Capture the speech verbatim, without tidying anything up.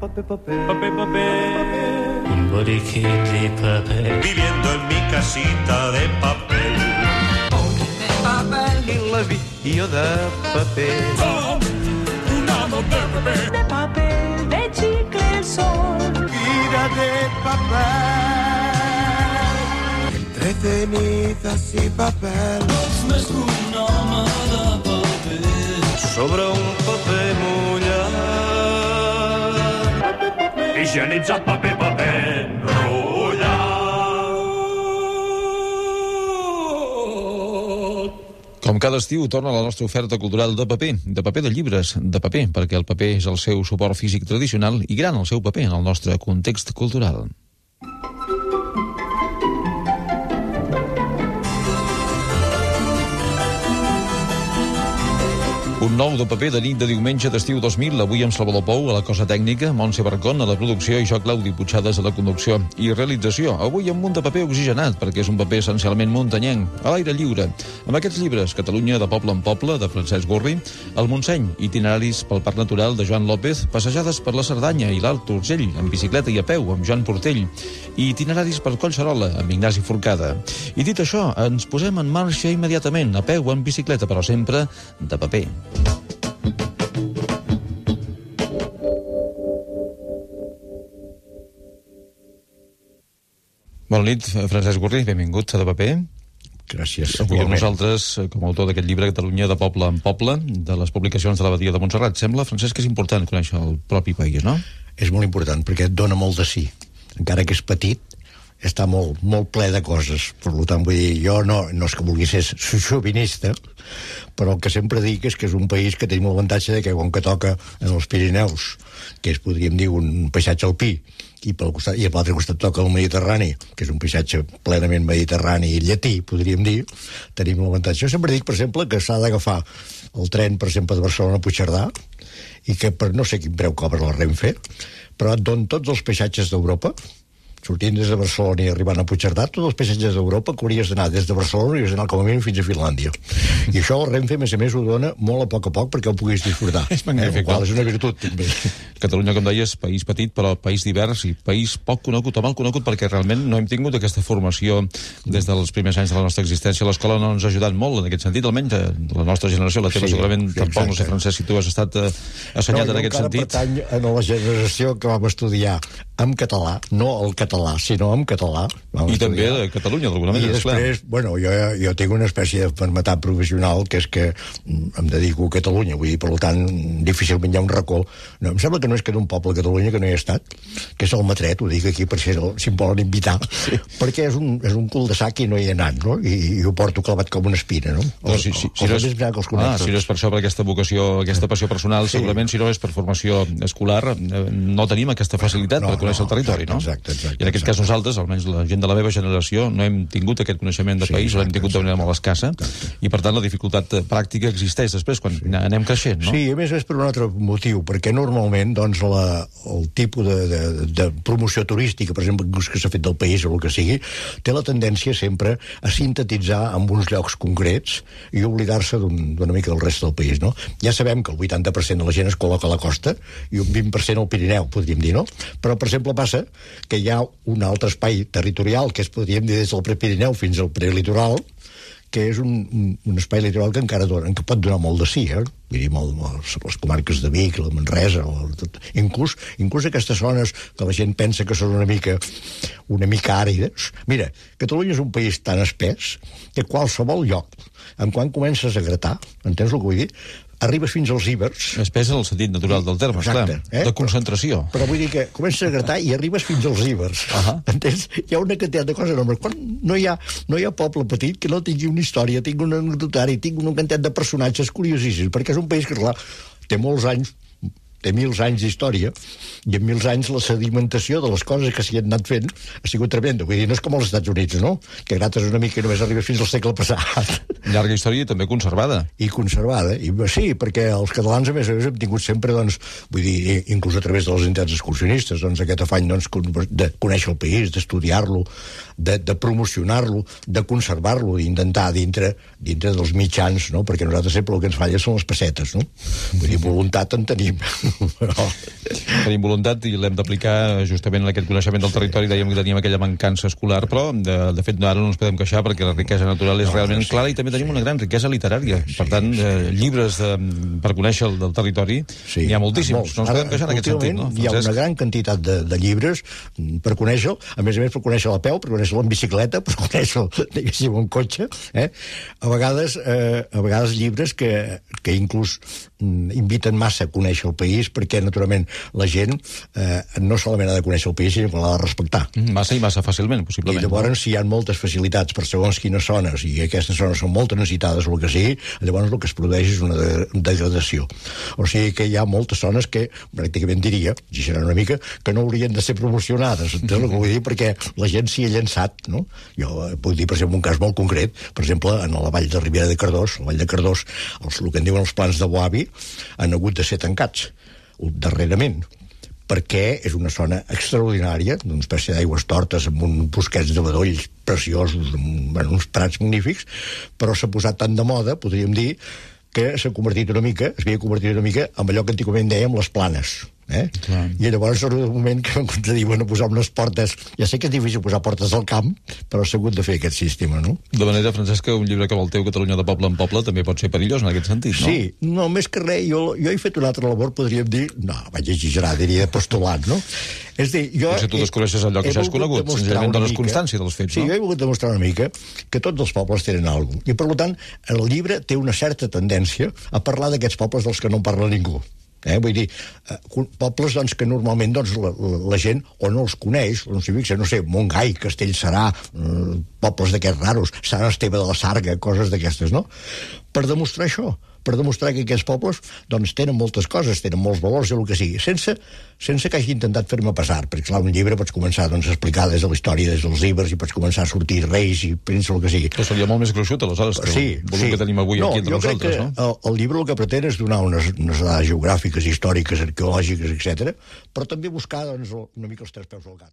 papel, papel, papel, papel. Un boriquet de papel. Viviendo en mi casita de papel. De papel i l'avió de paper. Com un home de paper. De papel, de chicle el sol. Vida de papel. Entre cenizas i papel. Ets més que un home de paper. Sobre un paper mullat. Higienitzat paper, paper, enrotllat. Com cada estiu torna la nostra oferta cultural de paper, de paper de llibres, de paper, perquè el paper és el seu suport físic tradicional i gran el seu paper en el nostre context cultural. Un nou de paper de nit de diumenge d'estiu dos mil, avui amb Salvador Pou a la cosa tècnica, Montse Barcón a la producció i jo, Claudi Puigcercas, a la conducció i realització. Avui amb un de paper oxigenat, perquè és un paper essencialment muntanyenc, a l'aire lliure. Amb aquests llibres, Catalunya de poble en poble, de Francesc Gurri, El Montseny, itineraris pel Parc Natural, de Joan López, passejades per la Cerdanya i l'Alt Urgell, en bicicleta i a peu, amb Joan Portell, i itineraris per Collserola, amb Ignasi Forcada. I dit això, ens posem en marxa immediatament, a peu, en bicicleta, però sempre de paper. Bona nit, Francesc Gurri, benvingut a De Paper. Gràcies. Avui amb nosaltres, com a autor d'aquest llibre Catalunya de poble en poble, de les publicacions de l'Abadia de Montserrat. Sembla, Francesc, que és important conèixer el propi país, no? És molt important, perquè et dona molt de sí. Encara que és petit, està molt, molt ple de coses. Per tant, vull dir, jo no, no és que vulgui ser xovinista, però el que sempre dic és que és un país que tenim l'avantatge de que, com que toca en els Pirineus, que és, podríem dir, un paisatge alpí, i pel costat, i a l'altre costat toca el Mediterrani, que és un paisatge plenament mediterrani i llatí, podríem dir, tenim l'avantatge. Jo sempre dic, per exemple, que s'ha d'agafar el tren, per exemple, de Barcelona a Puigcerdà, i que per no sé quin preu cobra la Renfe, però et don tots els paisatges d'Europa, sortint des de Barcelona i arribant a Puigcerdà, tots els paisatges d'Europa que hauries d'anar des de Barcelona i hauries d'anar com a mínim fins a Finlàndia. I això el Renfe, a més a més, ho dona molt a poc a poc perquè ho puguis disfrutar. És magnífic. Eh? Qual és una virtut, també. Catalunya, com deies, país petit, però país divers i país poc conegut o mal conegut, perquè realment no hem tingut aquesta formació des dels primers anys de la nostra existència. L'escola no ens ha ajudat molt en aquest sentit, almenys la nostra generació, la teva sí, segurament sí, tampoc, no sé, Francesc, si tu has estat eh, assenyat no, en aquest sentit. No, jo encara pertany a la generació que vam estudiar en català, no el català, sinó en català. I també de Catalunya, d'alguna manera. I després, clar. bueno, jo, jo tinc una espècie de fermetat professional, que és que em dedico a Catalunya, vull dir, per tant, difícilment hi ha un racó. No, em sembla que no és que d'un poble a Catalunya que no hi ha estat, que és el Matret, ho dic aquí per si, si em volen invitar, sí. perquè és un, és un cul de sac i no hi he anat, no? I, i ho porto clavat com una espina, no? no si, si, si, no és, ah, si no és per això, per aquesta vocació, aquesta passió personal, sí. segurament, si no és per formació escolar, no tenim aquesta facilitat no, per conèixer no, el territori, exacte, no? Exacte, exacte. I en aquest cas nosaltres, almenys la gent de la meva generació, no hem tingut aquest coneixement de sí, país, l'hem tingut de manera molt escassa, exacte. I per tant la dificultat pràctica existeix després, quan sí. anem creixent, no? Sí, a més és per un altre motiu, perquè normalment, doncs, la, el tipus de, de, de promoció turística, per exemple, que s'ha fet del país o el que sigui, té la tendència sempre a sintetitzar en uns llocs concrets i oblidar-se d'una mica del rest del país, no? Ja sabem que el vuitanta per cent de la gent es col·loca a la costa i un vint per cent al Pirineu, podríem dir, no? Però, per exemple, passa que hi ha un altre espai territorial, que es podríem dir des del Prepirineu fins al prelitoral, que és un, un, un espai litoral que encara dona, que pot donar molt de sí, eh? Vull dir, molt, molt, les comarques de Vic, la Manresa, el, tot, inclús, inclús aquestes zones que la gent pensa que són una mica, una mica àrides. Mira, Catalunya és un país tan espès que qualsevol lloc, en quan comences a gratar, entens el que vull dir? Arribes fins als Ibers. Espès en el sentit natural del terme, exacte, clar, eh? de concentració. Però, però vull dir que comences a gratar i arribes fins als Ibers. Uh -huh. Entens? Hi ha una quantitat de coses enormes. Quan no hi ha, no hi ha poble petit que no tingui una història, tingui un anecdotari, tingui una quantitat de personatges curiosíssims, perquè és un país que, clar, té molts anys, té mils anys d'història, i en mils anys la sedimentació de les coses que s'hi han anat fent ha sigut tremenda. Vull dir, no és com als Estats Units, no? Que grates una mica i només arribes fins al segle passat. Llarga història i també conservada. I conservada. I, sí, perquè els catalans, a més a més, hem tingut sempre, doncs, vull dir, inclús a través de les entitats excursionistes, doncs, aquest afany, doncs, de conèixer el país, d'estudiar-lo, de, de promocionar-lo, de conservar-lo, d'intentar dintre, dintre dels mitjans, no? Perquè nosaltres sempre el que ens falla són les pessetes, no? Vull dir, voluntat en tenim. Però... Tenim voluntat i l'hem d'aplicar justament en aquest coneixement del territori. Dèiem que teníem aquella mancança escolar, però de, de fet ara no ens podem queixar perquè la riquesa natural és no, realment sí. clara i també tenim una gran riquesa literària. Sí, per tant, eh, llibres de, per conèixer el del territori sí, n'hi ha moltíssims. No ens podem queixar en aquest sentit, no? Hi ha una gran quantitat de, de llibres per conèixer-lo, a més a més per conèixer-lo a peu, per conèixer-lo en bicicleta, per conèixer-lo, diguéssim, en cotxe. Eh? A vegades, eh, a vegades llibres que, que inclús inviten massa a conèixer el país, perquè, naturalment, la gent eh, no solament ha de conèixer el país, sinó que l'ha de respectar. Massa i massa fàcilment, possiblement. I llavors, si hi ha moltes facilitats per segons quines zones, i aquestes zones són molt transitades o el que sigui, llavors el que es produeix és una de degradació. O sigui que hi ha moltes zones que, pràcticament diria, exagerant una mica, que no haurien de ser promocionades. Entens el que vull dir? Perquè la gent s'hi ha llançat, no? Jo puc dir, per exemple, un cas molt concret, per exemple, en la vall de Ribera de Cardós, la vall de Cardós, els, el que en diuen els plans de Boavi, han hagut de ser tancats darrerament, perquè és una zona extraordinària, d'una espècie d'aigües tortes amb uns bosquets de bedolls preciosos, amb, bueno, uns prats magnífics, però s'ha posat tant de moda, podríem dir, que s'ha convertit una mica, es havia convertit una mica en allò que antigament dèiem les planes. Eh? I llavors en un moment que vam dir, bueno, posar unes portes, ja sé que és difícil posar portes al camp, però s'ha hagut de fer aquest sistema, no? De manera, Francesc, que un llibre que vol teu, Catalunya de poble en poble, també pot ser perillós en aquest sentit, no? Sí, no, més que res, jo, jo he fet una altra labor, podríem dir, no, vaig exagerar, diria de postulat, no? És dir, jo... Potser tu descobreixes allò que ja has conegut, senzillament dones constància dels fets, sí, no? Sí, jo he volgut demostrar una mica que tots els pobles tenen alguna cosa, i per tant, el llibre té una certa tendència a parlar d'aquests pobles dels que no en parla ningú. Eh? Vull dir, eh, pobles doncs, que normalment doncs, la, la, la gent o no els coneix, o no s'hi fixa, no sé, Montgai, Castellserà, eh, pobles d'aquests raros, Sant Esteve de la Sarga, coses d'aquestes, no? Per demostrar això, per demostrar que aquests pobles doncs, tenen moltes coses, tenen molts valors i el que sigui, sense, sense que hagi intentat fer-me passar, perquè clar, un llibre pots començar doncs, a explicar des de la història, des dels ibers, i pots començar a sortir reis i príncips, el que sigui. Però seria molt més gruixut, aleshores, que sí, el volum sí. que tenim avui no, aquí entre nosaltres, no? El, el llibre el que pretén és donar unes, unes dades geogràfiques, històriques, arqueològiques, etcètera, però també buscar doncs, una mica els tres peus al gat.